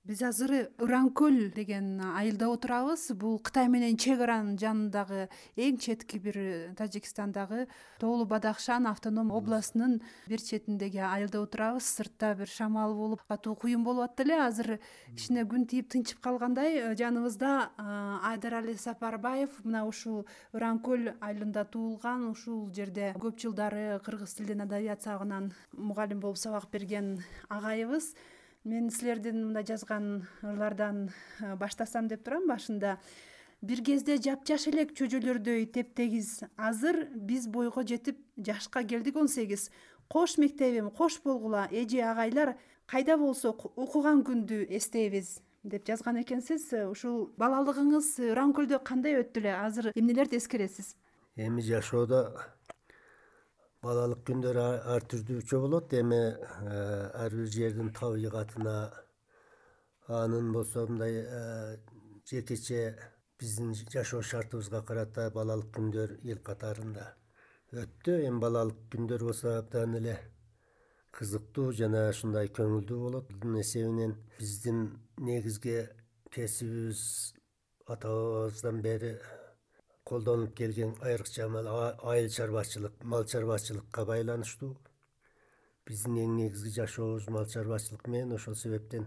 Биз азыр Ыран-Көл деген айылда отурабыз. Бул Кытай менен чек аранын жанындагы эң четки бир Тажикстандагы Тоолу Бадахшан автоном областынын бир четиндеги айылда отурабыз. Сыртта бир шамал болуп, катуу куюн болуп атты эле. Азыр кичине күн тийип тынчып калгандай. Жаныбызда Айдарали Сапарбаев мына ушул Ыран-Көл айылында туулган, ушул жерде көп жылдары кыргыз тилинен адабият сабагынан мугалим болуп сабак берген агайыбыз. Мен силердин мында жазган ырлардан баштасам деп турам. Башында бир кезде жапжаш элек чөжөлөрдөй тептегиз, азыр биз бойго жетип жашка келдик 18. Кош мектебим, кош болгула эже агайлар, кайда болсок окуган күндү эстейбиз деп жазган экенсиз. Ушул балалыгыңыз Ыран-Көлдө кандай өттү эле? Азыр эмнелерди эскересиз? Эми жашоодо балалык күндөр ар түрдүүчө болот. Эми ар бир жердин табигатына, анын болсо мындай жекече биздин жашоо шартыбызга карата балалык күндөр эл катарында өттү. Эми балалык күндөр болсо абдан эле кызыктуу жана ушундай көңүлдүү болот. Бунун эсебинен биздин негизги кесибибиз ата бабабыздан бери колдонуп келген айрыкча айыл чарбачылык, мал чарбачылыкка байланыштуу. Биздин эң негизги жашообуз мал чарбачылык менен. Ошол себептен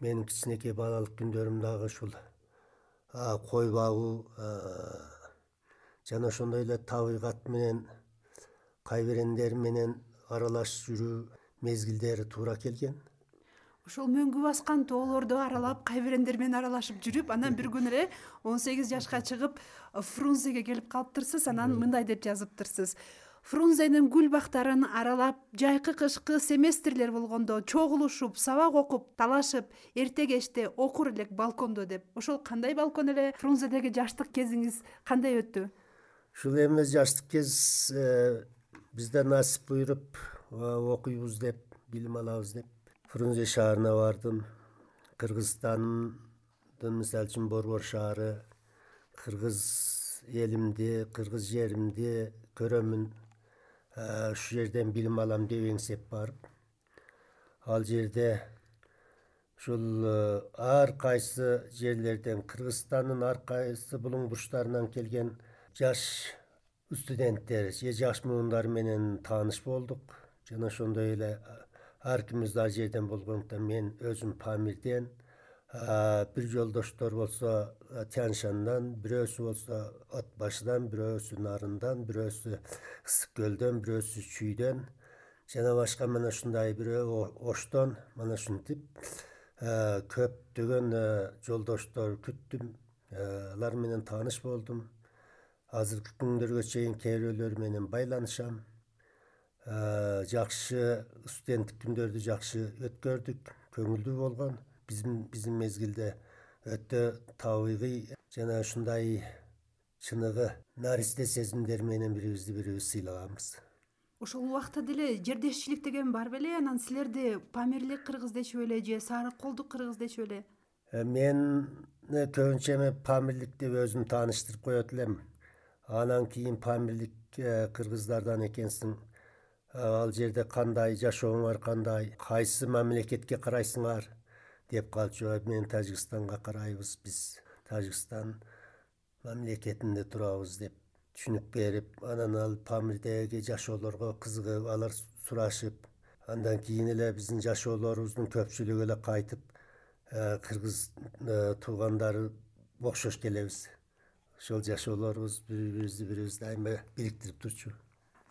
менин кичинекей балалык күндөрүм дагы ушул кой багуу жана ошондой эле табигат менен, кайберендер менен аралаш жүрүү мезгилдери туура келген. Ошол мөңгү баскан тоолорду аралап, кайберендер менен аралашып жүрүп, анан бир күнү эле 18 жашка чыгып Фрунзеге келип калыптырсыз. Анан мындай деп жазыптырсыз: Фрунзенин гүл бактарын аралап, жайкы кышкы семестрлер болгондо чогулушуп, сабак окуп, талашып, эрте кечте окур элек балкондо деп. Ошол кандай балкон эле? Фрунзедеги жаштык кезиңиз кандай өттү? Ушул эми жаштык кез бизде насип буйруп окуйбуз деп, билим алабыз деп Фрунзе шаарына бардым. Кыргызстандын мисалы үчүн Борбор шаары, кыргыз элимди, кыргыз жеримди көрөмүн, ушу жерден билим алам деп эңсеп барып, ал жерде ушул ар кайсы жерлерден, Кыргызстандын ар кайсы булуң бурчтарынан келген жаш студенттер же жаш муундар менен тааныш болдук. Жана ошондой эле ар кимибиз ал жерден болгондуктан мен өзүм Памирден, бир жолдоштор болсо Тянь-Шандан, бирөөсү болсо От башыдан, бирөөсү Нарындан, бирөөсү Ысык көлдөн, бирөөсү Чүйдөн жана башка мына ушундай бирөө Оштон. Мана ушинтип көптөгөн жолдоштор күттүм. Алар менен тааныш болдум. Азыркы күндөргө чейин кээ бирөөлөр менен байланышам. Жакшы студенттик күндөрдү жакшы өткөрдүк, көңүлдүү болгон. Биздин мезгилде өтө табигый жана ушундай чыныгы наристе сезимдер менен бирибизди бирибиз сыйлаганбыз. Ошол убакта деле жердешчилик деген бар беле? Анан силерди Памирлик кыргыз дечү беле же Сарык колдук кыргыз дечү беле? Мен көбүнчө эми Памирлик деп өзүм тааныштырып коет элем. Анан кийин Памирлик кыргыздардан экенсиң, ал жерде кандай жашооңар, кандай, кайсы мамлекетке карайсыңар деп калчу. Мен Тажикстанга карайбыз, биз Тажикстан мамлекетинде турабыз деп түшүнүк берип, анан ал Памирдеги жашоолорго кызыгып, алар сурашып, андан кийин эле биздин жашоолорубуздун көпчүлүгү эле кайтып, кыргыз туугандары окшош келебиз. Ошол жашоолорубуз бирибизди дайыма бириктирип турчу.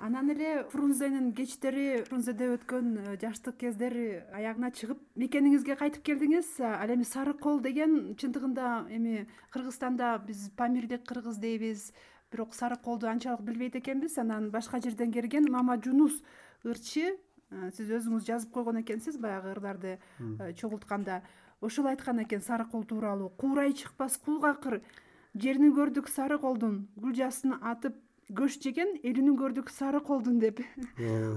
Анан эле Фрунзенин кечтери, Фрунзеде өткөн жаштык кездер аягына чыгып, мекениңизге кайтып келдиңиз. Ал эми Сарык кол деген чындыгында эми Кыргызстанда биз Памирлик кыргыз дейбиз, бирок Сарык колду анчалык билбейт экенбиз. Анан башка жерден келген Мамажунус ырчы, сиз өзүңүз жазып койгон экенсиз баягы ырларды чогултканда. Ошол айткан экен Сарык кол тууралуу: куурай чыкпас кулгакыр, жерин көрдүк Сарык колдун, гүл жасын атып көш жеген элүнүн көрдүк Сарык колдун деп.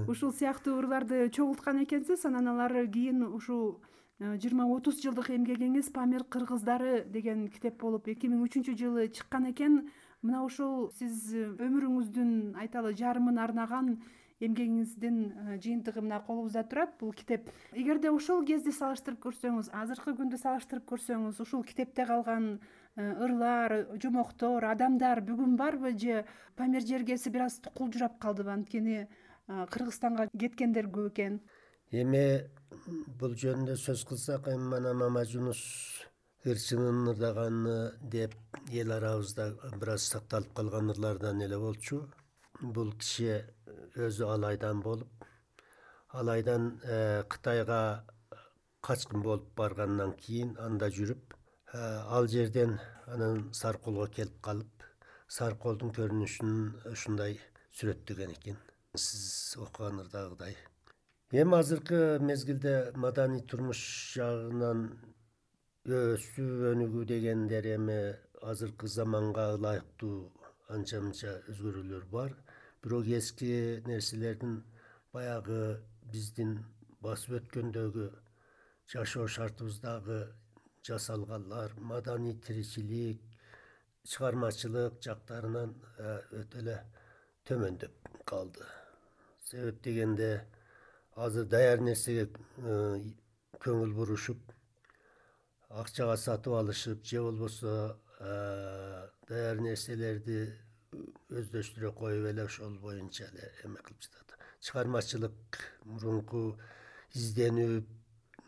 Ушул сыяктуу ырларды чогулткан экенсиз. Анан алар кийин ушул 20-30 жылдык эмгегиңиз Памир кыргыздары деген китеп болуп 2003-жылы чыккан экен. Мына ушул сиз өмүрүңүздүн айталы жарымын арнаган эмгегиңиздин жыйынтыгы мына колубузда турат бул китеп. Эгерде ошол кезде салыштырып көрсөңүз, азыркы күндү салыштырып көрсөңүз, ушул китепте калган ырлар, жомоктор, адамдар бүгүн барбы же Памир жергеси бир аз кулжурап калдыбы? Анткени Кыргызстанга кеткендер көп экен. Эми бул жөнүндө сөз кылсак, эми мана Мамажунус ырчынын ырдаганы деп эл арабызда бир аз сакталып калган ырлардан эле болчу. Бул киши өзү алайдан болуп, алайдан Кытайга качкын болуп баргандан кийин анда жүрүп, ал жерден анан Саркулга келип калып, Саркулдун көрүнүшүн ушундай сүрөттөгөн экен, сиз окуган ырдагыдай. Эми азыркы мезгилде маданий турмуш жагынан өсүү өнүгүү дегендер эми азыркы заманга ылайыктуу анча мынча өзгөрүүлөр бар. Бирок эски нерселердин, баягы биздин басып өткөндөгү жашоо шартыбыздагы жасалганлар, маданий тиричилик, чыгармачылык жактарынан өтө эле төмөндөп калды. Себеп дегенде азыр даяр нерсеге көңүл бурушуп, акчага сатып алышып, же болбосо даяр нерселерди өздөштүрө коюп эле ошол боюнча эле эме кылып жатат. Чыгармачылык, мурунку изденүү,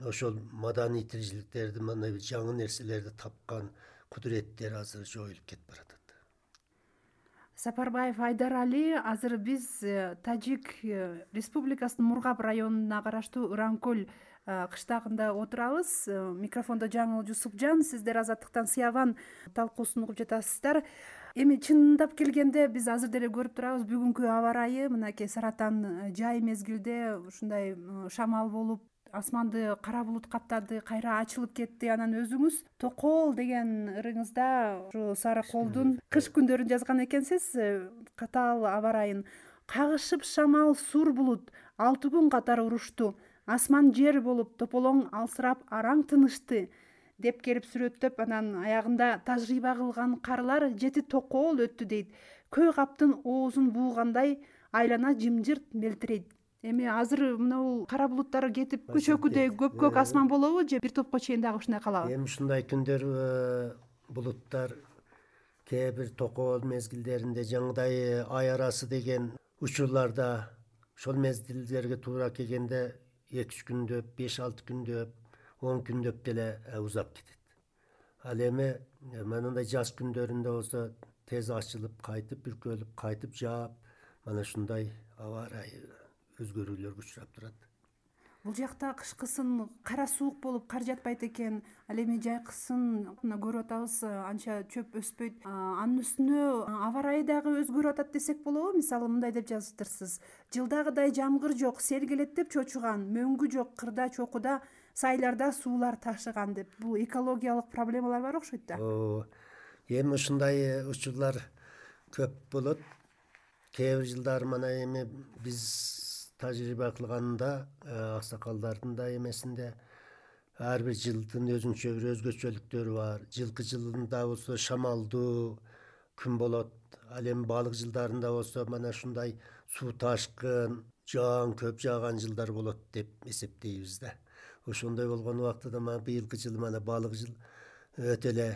ошол маданий тиричиликтерди, мына жаңы нерселерди тапкан кудуреттер азыр жоюлуп кетип баратат. Сапарбаев Айдар Али, азыр биз Тажик Республикасынын Мургап районуна караштуу Ыранкөл кыштагында отурабыз. Микрофондо Жаңыл Жусупжан, сиздер Азаттыктан Сыябан талкуусун угуп жатасыздар. Эми чындап келгенде биз азыр деле көрүп турабыз, бүгүнкү аба ырайы мынакей Саратан жай мезгилде ушундай шамал болуп, асманды кара булут каптады, кайра ачылып кетти. Анан өзүңүз Токол деген ырыңызда ушу Сарыколдун кыш күндөрүн жазган экенсиз. Катаал аба ырайын кагышып шамал сур булут 6 күн катары урушту. Асман жер болуп тополоң алсырап араң тынышты деп келип сүрөттөп, анан аягында тажрыйба кылган карлар 7 токол өттү дейт. Көй каптын оозун буугандай айлана жымжырт мелтирейт. Эми азыр мына кара булуттар кетип көчөкүдөй көк асман болобу же бир топко чейин дагы ушундай калабы? Эми ушундай күндөр булуттар кээ бир токол мезгилдеринде жаңыдай ай арасы деген учурларда ошол мезгилдерге туура келгенде 2-3 күндөп, 5-6 күндөп, 10 күндөп деле узап кетет. Ал эми мындай жаз күндөрүндө болсо тез ачылып, кайтып бүркөлүп, кайтып жаап, мана ушундай аба ырайы өзгөрүүлөргө учурап турат. Бул жакта кышкысын кара суук болуп кар жатпайт экен. Ал эми жайкысын мына көрүп атабыз, анча чөп өспөйт. Анын үстүнө аба ырайы дагы өзгөрүп атат десек болобу? Мисалы мындай деп жазыптырсыз: жылдагыдай жамгыр жок, сел келет деп чочуган, мөңгү жок, кырда чокуда, сайларда суулар ташыган деп. Бул экологиялык проблемалар бар окшойт да. Эми ушундай учурлар көп болот. Кээ бир жылдары мана эми биз тажрыйба кылганда, аксакалдардын да эмесинде ар бир жылдын өзүнчө бир өзгөчөлүктөрү бар. Жылкы жылында болсо шамалдуу күн болот. Ал эми балык жылдарында болсо мана ушундай суу ташкын, жаан көп жааган жылдар болот деп эсептейбиз да. Ошондой болгон убактыда мана быйылкы жыл мана балык жыл өтө эле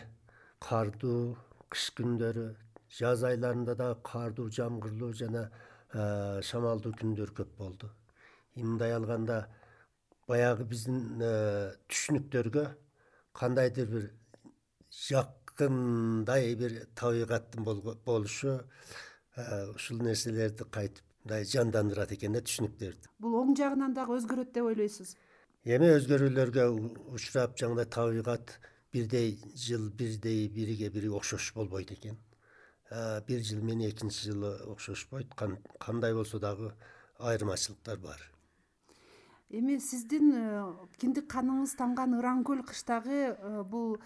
кардуу кыш күндөрү, жаз айларында да кардуу, жамгырлуу жана шамалдуу күндөр көп болду. Мындай алганда баягы биздин түшүнүктөргө кандайдыр бир жакындай бир табигаттын болушу ушул нерселерди кайтып мындай жандандырат экен да, түшүнүктөрдү. Бул оң жагынан дагы өзгөрөт деп ойлойсуз? Эми өзгөрүүлөргө учурап, жаңыдай табигат бирдей жыл бирдей бириге бири окшош болбойт экен. Бир жыл менен экинчи жылы окшошпойт. Кандай болсо дагы айырмачылыктар бар. Эми сиздин киндик каныңыз танган Ыранкөл кыштагы бул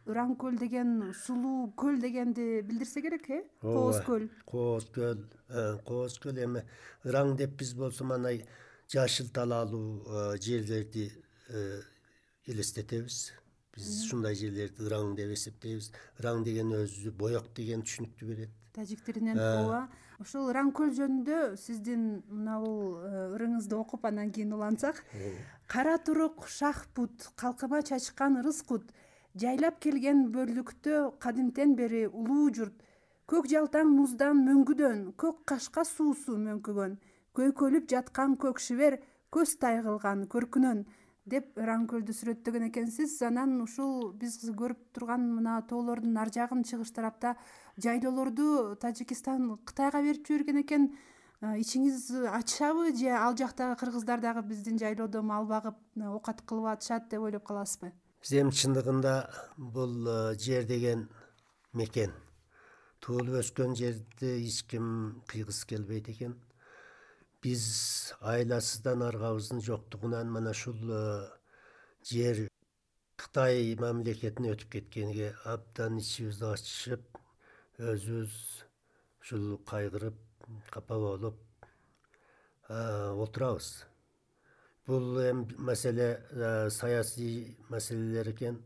Ыранкөл деген сулуу көл дегенди билдирсе керек, Кооз көл. Кооз көл эми Ыраң деп биз болсо мана жашыл талаалуу жерлерди элестетебиз. Биз ушундай жерлерди Ыраң деп эсептейбиз. Ыраң деген өзү боек деген түшүнүктү берет. Тажик тилинен ооба. Ушул Ырамкөл жөнүндө сиздин мына бул ырыңызды окуп андан кийин улантсак, кара турук шах-пут, калкыма чачкан ырыс-кут, жайлап келген бөрлүктө кадимтен бери улуу журт, көк жалтаң муздан мөңгүдөн, көк кашка суусу мөңкүгөн, көйкөлүп жаткан көк шибер көз тай кылган көркүнөн деп Ырамкөлдү сүрөттөгөн экенсиз. Анан ушул биз көрүп турган мына тоолордун ар жагын, чыгыш тарапта жайлоолорду Тажикистан Кытайга берип жиберген экен. Ичиңиз ачабы же ал жактагы кыргыздар дагы биздин жайлоодо мал багып оокат кылып атышат деп ойлоп каласызбы? Биз эми чындыгында бул жер деген мекен, туулуп өскөн жерди эч ким кыйгысы келбейт экен. Биз айласыздан аргабыздын жоктугунан мына ушул жер Кытай мамлекетине өтүп кеткенге абдан ичибизди ачышып, өзүбүз ушул кайгырып, капа болуп отурабыз. Бул эми маселе саясий маселелер экен.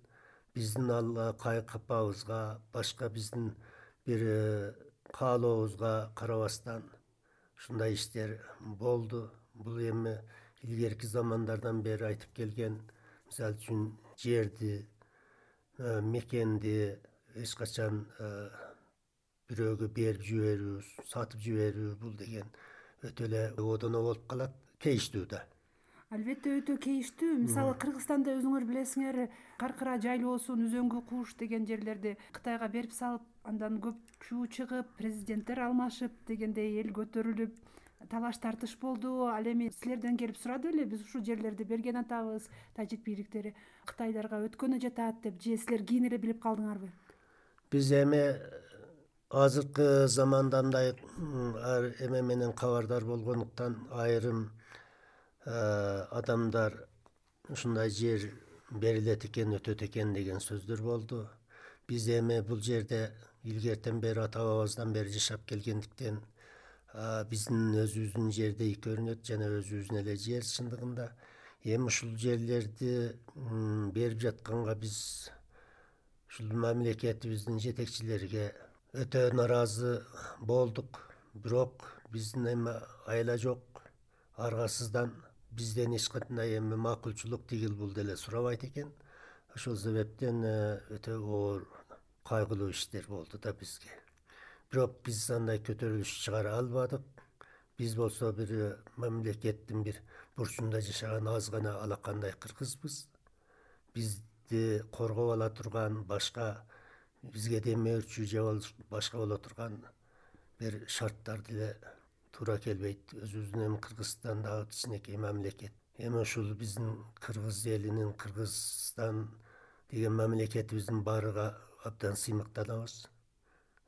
Биздин ал капабызга, башка биздин бир каалообузга карабастан ушундай иштер болду. Бул эми илгерки замандардан бери айтып келген, мисалы үчүн жерди, мекенди эч качан бирөөгө берип жиберүү, сатып жиберүү, бул деген өтө эле одоно болуп калат, кейиштүү да. Албетте өтө кейиштүү. Мисалы Кыргызстанда өзүңөр билесиңер, Каркыра жайлоосун, Үзөңгү Кууш деген жерлерди Кытайга берип салып, андан көп чуу чыгып, президенттер алмашып дегендей эл көтөрүлүп, талаш тартыш болду. Ал эми силерден келип сурады беле, биз ушул жерлерди берген атабыз, тажик бийликтери Кытайдарга өткөнү жатат деп, же силер кийин эле билип калдыңарбы? Биз эми азыркы заманда андай эме менен кабардар болгондуктан айрым адамдар ушундай жер берилет экен, өтөт экен деген сөздөр болду. Биз эми бул жерде илгертен бери ата бабабыздан бери жашап келгендиктен биздин өзүбүздүн жердей көрүнөт жана өзүбүздүн эле жер чындыгында. Эми ушул жерлерди берип жатканга биз ушул мамлекетибиздин жетекчилериге өтө нааразы болдук. Бирок биздин эми айла жок, аргасыздан бизден эч кандай эми макулчулук тигил бул деле сурабайт экен. Ошол себептен өтө оор, кайгылуу иштер болду да бизге. Бирок биз андай көтөрүлүш чыгара албадык. Биз болсо бир мамлекеттин бир бурчунда жашаган аз гана алакандай кыргызбыз. Бизди коргоп ала турган, башка бизге демөөрчү же башка боло турган бир шарттар деле туура келбейт. Өзүбүздүн эми Кыргызстан дагы кичинекей мамлекет. Эми ушул биздин кыргыз элинин, Кыргызстан деген мамлекетибиздин баарыга абдан сыймыктанабыз.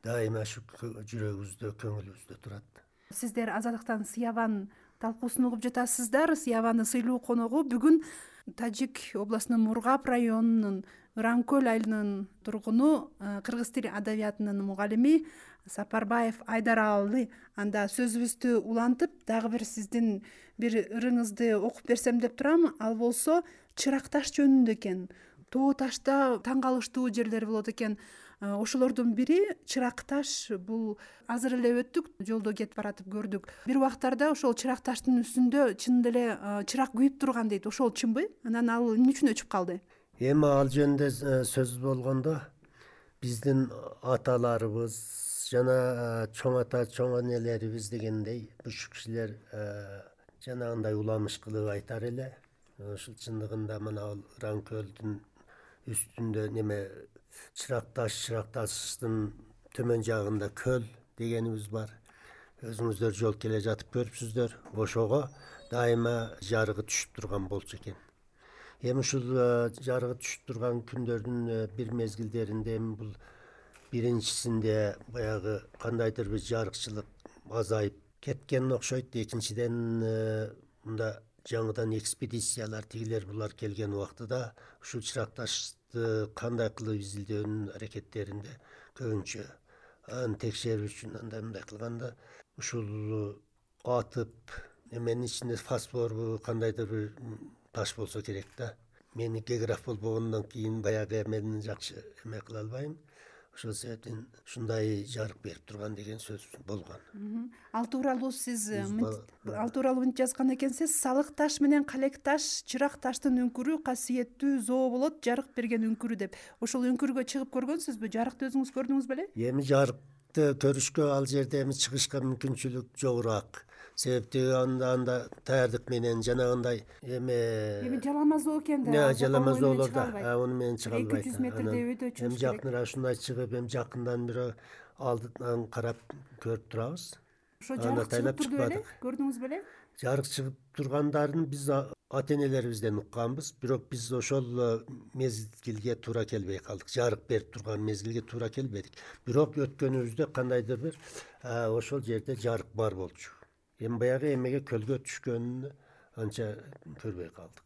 Дайыма ушу жүрөгүбүздө, көңүлүбүздө турат. Сиздер Азаттыктан Сыябан талкуусун угуп жатасыздар. Сыябанын сыйлуу коногу бүгүн Тажик областынын Мургап районунун Ырамкөл айылынын тургуну, кыргыз тили адабиятынын мугалими Сапарбаев Айдаралы. Анда сөзүбүздү улантып, дагы бир сиздин бир ырыңызды окуп берсем деп турам. Ал болсо Чырак таш жөнүндө экен. Тоо ташта таң калыштуу жерлер болот экен. Ошолордун бири Чырак таш. Бул азыр эле өттүк, жолдо кетип баратып көрдүк. Бир убактарда ошол Чырак таштын үстүндө чынында эле чырак күйүп турган дейт. Ошол чынбы? Анан ал эмне үчүн өчүп калды? Эми ал жөнүндө сөз болгондо биздин аталарыбыз жана чоң ата, чоң энелерибиз дегендей буш кишилер жанагындай уламыш кылып айтар эле. Ушул чындыгында мына Ырамкөлдүн үстүндө неме Чырак таштын төмөн жагында көл дегенибиз бар. Өзүңүздөр жол келе жатып көрүпсүздөр. Ошого дайыма жарыгы түшүп турган болчу экен. Эми ушул жарыгы түшүп турган күндөрдүн бир мезгилдеринде эми бул биринчисинде баягы кандайдыр бир жарыкчылык азайып кеткен окшойт. Экинчиден мында жаңыдан экспедициялар тигилер булар келген убактыда ушул Чырак ташты кандай кылып изилдөөнүн аракеттеринде көбүнчө аны текшерүү үчүн андай кылганда ушул атып эменин ичинде фосфорбу кандайдыр бир таш болсо керек да. Мен географ болбогондон кийин баягы эмени жакшы эме кыла албайм. ошол себептен ушундай жарык берип турган деген сөз болгон. Ал тууралуу сиз ал тууралуу мынтип жазган экенсиз: салык таш менен калек таш, чырак таштын үңкүрү касиеттүү зоо болот, жарык берген үңкүрү деп. Ошол үңкүргө чыгып көргөнсүзбү? Жарыкты өзүңүз көрдүңүз беле? Эми жарыкты көрүшкө ал жерде эми чыгышка мүмкүнчүлүк жогураак. Себепти анда даярдык менен жанагындай Эми жаламазоо экен да. Жаламазоолор да уну менен чыга албайт. 200 метрдей өйдө чыгыш керек. Эми жакыныраак ушундай чыгып, эми жакындан бирөө алдынан карап көрүп турабыз. Ошо жарык чыгып турду беле? Көрдүңүз беле? Жарык чыгып тургандарын биз ата-энелерибизден укканбыз, бирок биз ошол мезгилге туура келбей калдык. Жарык берип турган мезгилге туура келбедик. Бирок өткөнүбүздө кандайдыр бир ошол жерде жарык бар болчу. Эми баягы эмеге көлгө түшкөнүн анча көрбөй калдык.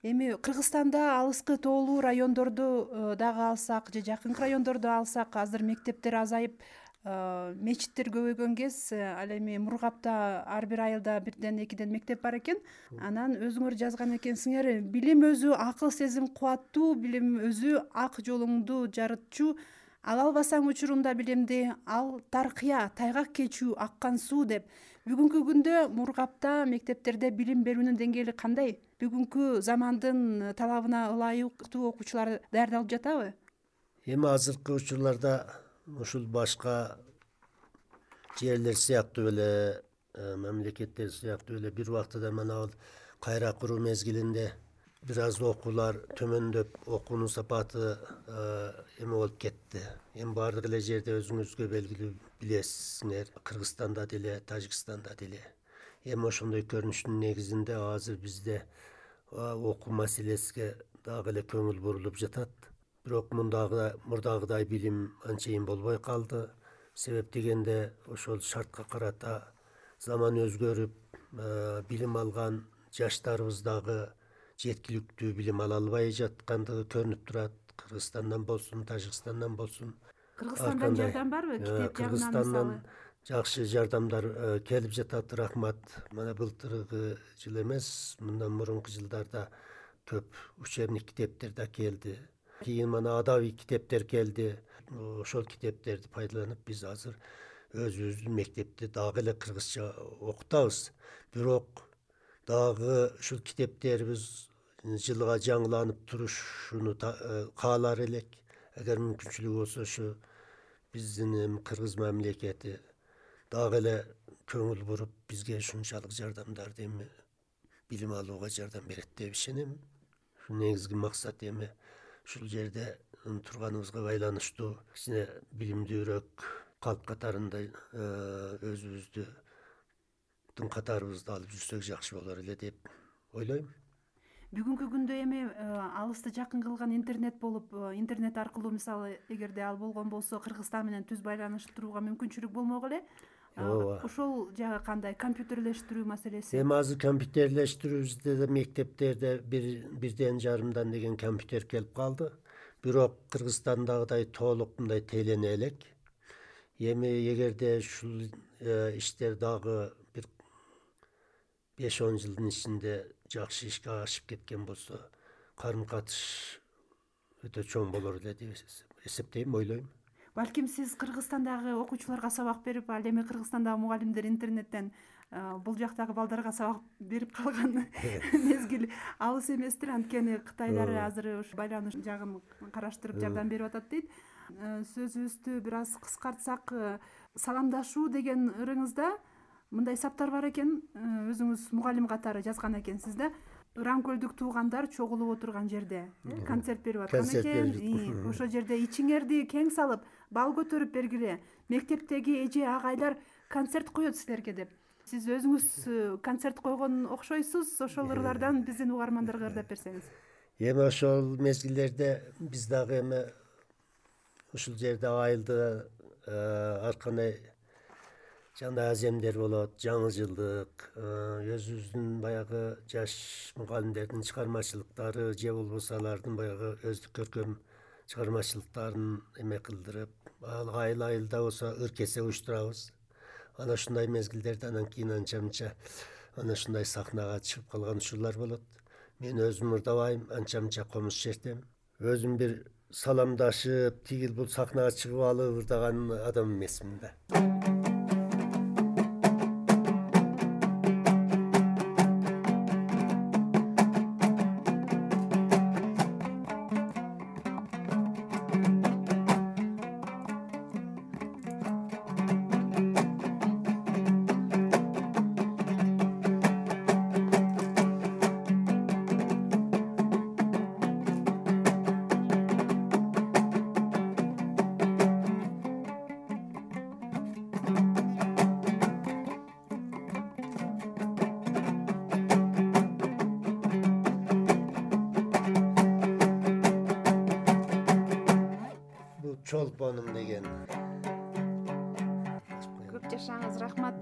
Эми Кыргызстанда алыскы тоолуу райондорду дагы алсак же жакынкы райондорду алсак, азыр мектептер азайып, мечиттер көбөйгөн кез, ал эми Мургапта ар бир айылда 1-2 мектеп бар экен. Анан өзүңөр жазган экенсиңер: билим өзү акыл сезим кубаттуу, билим өзү ак жолуңду жарытчу, ала албасаң учурунда билимди, ал таркыя, тайгак кечүү, аккан суу деп. Бүгүнкү күндө Мургапта мектептерде билим берүүнүн деңгээли кандай? Бүгүнкү замандын талабына ылайыктуу окуучулар даярдалып жатабы? Эми азыркы учурларда ушул башка жерлер сыяктуу эле, мамлекеттер сыяктуу эле бир убактыда мына кайра куруу мезгилинде бир аз окуулар төмөндөп, окуунун сапаты эме болуп кетти. Эми баардык эле жерде өзүңүзгө белгилүү билесиңер, Кыргызстанда деле, Тажикстанда деле. Эми ошондой көрүнүштүн негизинде азыр бизде окуу маселесине дагы эле көңүл бурулуп жатат. Бирок мурдагыдай билим анчейин болбой калды. Себеп дегенде ошол шартка карата заман өзгөрүп, билим алган жаштарыбыз дагы жеткиликтүү билим ала албай жаткандыгы көрүнүп турат. Кыргызстандан болсун, Тажикстандан болсун. Кыргызстандан жардам барбы? Китеп жагынан Кыргызстандан жакшы жардамдар келип жатат, рахмат. Мына былтыркы жыл эмес, мындан мурунку жылдарда көп учебник китептер да келди. Кийин мына адабий китептер келди. Ошол китептерди пайдаланып биз азыр өзүбүздүн мектепти дагы эле кыргызча окутабыз. Бирок дагы ушул китептерибиз жылга жаңыланып турушуну каалар элек. Эгер мүмкүнчүлүгү болсо ушу биздин кыргыз мамлекети дагы эле көңүл буруп, бизге ушунчалык жардамдарды эми билим алууга жардам берет деп ишенем. Ушу негизги максат. Эми ушул жерде турганыбызга байланыштуу кичине билимдүүрөөк калп катарында өзүбүздүн катарыбызды алып жүрсөк жакшы болор эле деп ойлойм. Бүгүнкү күндө эми алысты жакын кылган интернет болуп, интернет аркылуу мисалы эгерде ал болгон болсо Кыргызстан менен түз байланыштырууга мүмкүнчүлүк болмок эле. Ошол жагы кандай? Компьютерлештирүү маселеси? Эми азыр компьютерлештирүүбүздө да мектептерде 1,5 деген компьютер келип калды. Бирок Кыргызстандагыдай толук мындай тейлене элек. Эми эгерде ушул иштер дагы бир 5-10 жылдын ичинде жакшы ишке ашып кеткен болсо, карым-катыш өтө чоң болор эле деп эсептейм, ойлойм. Балким сиз Кыргызстандагы окуучуларга сабак берип, ал эми Кыргызстандагы мугалимдер интернеттен бул жактагы балдарга сабак берип калган мезгил алыс эместир. Анткени Кытайлар азыр ушу байланыш жагын караштырып жардам берип атат дейт. Сөзүбүздү бир аз кыскартсак, саламдашуу деген ырыңызда мындай саптар бар экен. Өзүңүз мугалим катары жазган экенсиз да. Ырамкөлдүк туугандар чогулуп отурган жерде концерт берип аткан экен. Ошол жерде ичиңерди кең салып, бал көтөрүп бергиле. Мектептеги эже агайлар концерт коет силерге деп. Сиз өзүңүз концерт койгон окшойсуз. Ошол ырлардан биздин угармандарга ырдап берсеңиз. Эми ошол мезгилдерде биз дагы эми ушул жерде айылда ар кандай жандай аземдер болот, жаңы жылдык, өзүбүздүн баягы жаш мугалимдердин чыгармачылыктары же болбосо алардын баягы өздүк көркөм чыгармачылыктарын эме кылдырып, айылда болсо ыркесе уюштурабыз. Ana ушундай мезгилдерде анан кийин анча-мынча ana ушундай сахнага чыгып калган учурлар болот. Мен өзүм ырдабайм, анча-мынча комуз чертем. өзүм бир саламдашып тигил бул сахнага чыгып алып ырдаган адам эмесмин да. Бул чолпонум деген. Көп жашаңыз, рахмат.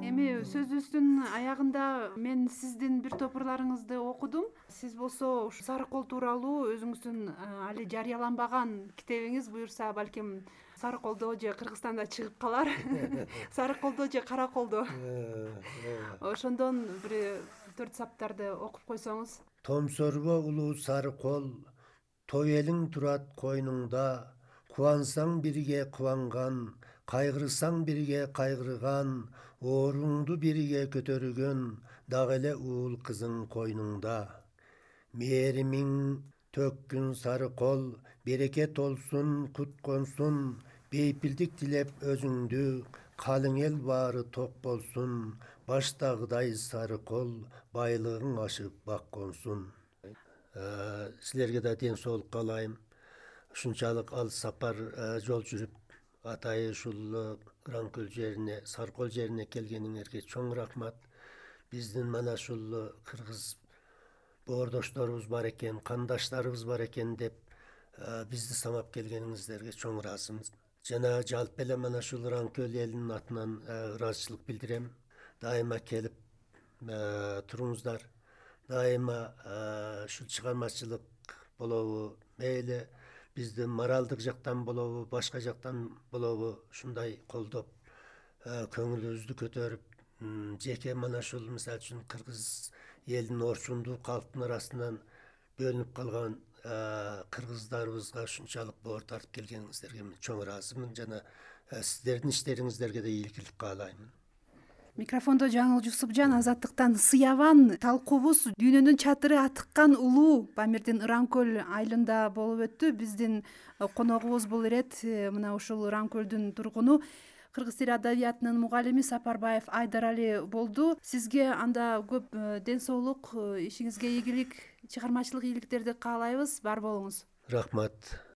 Эми сөзүбүздүн аягында мен сиздин бир топурларыңызды окудум. Сиз болсо ушу Сарыкол тууралуу өзүңүздүн али жарыяланбаган китебиңиз буюрса балким Сарыколдо же Кыргызстанда чыгып калар. Сарыколдо же Караколдо. Ошондон бир 4 саптарды окуп койсоңуз. Томсорго улуу сары кол, той элиң турат койнуңда, кубансаң бирге кубанган, кайгырсаң бирге кайгырган, ооруңду бирге көтөргөн, дагы эле уул кызың койнуңда. Мээримиң төккүн сары кол, берекет олсун, кут консун, бейпилдик тилеп өзүңдү, калың эл баары ток болсун, баштагыдай сары кол, байлыгың ашып бак консун. Силерге да ден соолук каалайм. Ушунчалык алыс сапар жол жүрүп атайын ушул Ыран-Көл жерине, Сарыкол жерине келгениңерге чоң рахмат. Биздин мана ушул кыргыз боордошторубуз бар экен, кандаштарыбыз бар экен деп бизди самап келгениңиздерге чоң ыраазымын. Жана жалпы эле мана ушул Ыран-Көл элинин атынан ыраазычылык билдирем. Дайыма келип туруңуздар. Дайыма ушул чыгармачылык болобу, мейли бизди моралдык жактан болобу, башка жактан болобу ушундай колдоп, көңүлүбүздү көтөрүп, жеке мана ушул мисалы үчүн кыргыз элинин орчундуу калктын арасынан бөлүнүп калган кыргыздарыбызга ушунчалык боор тартып келгениңиздерге мен чоң ыраазымын жана сиздердин иштериңиздерге да ийгилик каалаймын. Микрофондо Жаңыл Жусупжан, Азаттыктан Сыябан талкуубуз дүйнөнүн чатыры атыккан улуу Памирдин Ыран-Көл айылында болуп өттү. Биздин коногубуз бул ирет мына ушул Ыран-Көлдүн тургуну кыргыз тили адабиятынын мугалими Сапарбаев Айдарали болду. Сизге анда көп ден соолук, ишиңизге ийгилик, чыгармачылык ийгиликтерди каалайбыз. Бар болуңуз. Рахмат.